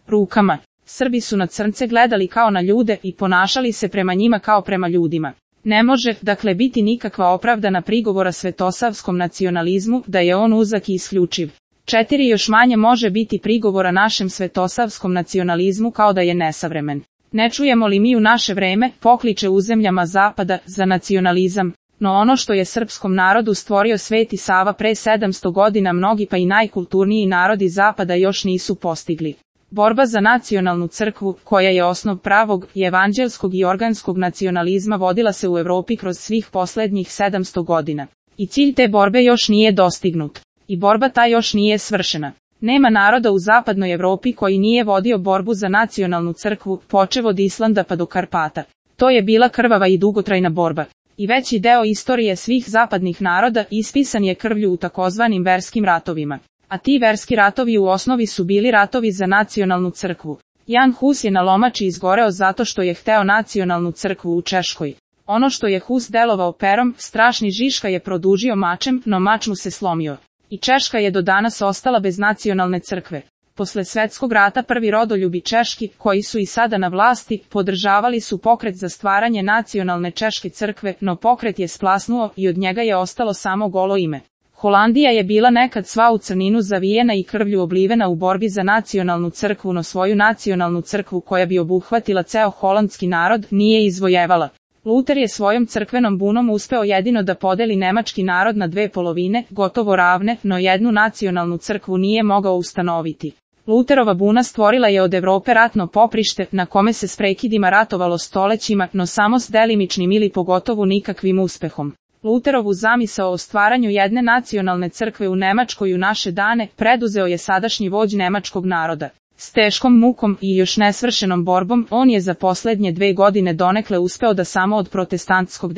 rukama. Srbi su na crnce gledali kao na ljude i ponašali se prema njima kao prema ljudima. Ne može, dakle, biti nikakva opravdana prigovora svetosavskom nacionalizmu da je on uzak i isključiv. 4. Još manje može biti prigovora našem svetosavskom nacionalizmu kao da je nesavremen. Ne čujemo li mi u naše vreme pokliče u zemljama zapada za nacionalizam, no ono što je srpskom narodu stvorio Sveti Sava pre 700 godina mnogi pa i najkulturniji narodi zapada još nisu postigli. Borba za nacionalnu crkvu, koja je osnov pravog i evanđelskog i organskog nacionalizma, vodila se u Evropi kroz svih poslednjih 700 godina. I cilj te borbe još nije dostignut. I borba ta još nije svršena. Nema naroda u zapadnoj Evropi koji nije vodio borbu za nacionalnu crkvu, počev od Islanda pa do Karpata. To je bila krvava i dugotrajna borba. I veći deo istorije svih zapadnih naroda ispisan je krvlju u takozvanim verskim ratovima. A ti verski ratovi u osnovi su bili ratovi za nacionalnu crkvu. Jan Hus je na Lomači izgoreo zato što je hteo nacionalnu crkvu u Češkoj. Ono što je Hus delovao perom, strašni Žiška je produžio mačem, no mač mu se slomio. I Češka je do danas ostala bez nacionalne crkve. Posle svetskog rata prvi rodoljubi češki, koji su i sada na vlasti, podržavali su pokret za stvaranje nacionalne češke crkve, no pokret je splasnuo i od njega je ostalo samo golo ime. Holandija je bila nekad sva u crninu zavijena i krvlju oblivena u borbi za nacionalnu crkvu, no svoju nacionalnu crkvu koja bi obuhvatila ceo holandski narod nije izvojevala. Luter je svojom crkvenom bunom uspeo jedino da podeli nemački narod na dve polovine, gotovo ravne, no jednu nacionalnu crkvu nije mogao ustanoviti. Luterova buna stvorila je od Evrope ratno poprište, na kome se s prekidima ratovalo stolećima, no samo s delimičnim ili pogotovo nikakvim uspehom. Luterovu zamisao o stvaranju jedne nacionalne crkve u Nemačkoj u naše dane preduzeo je sadašnji vođ nemačkog naroda. S teškom mukom i još nesvršenom borbom on je za poslednje 2 godine donekle uspeo da samo od protestantskog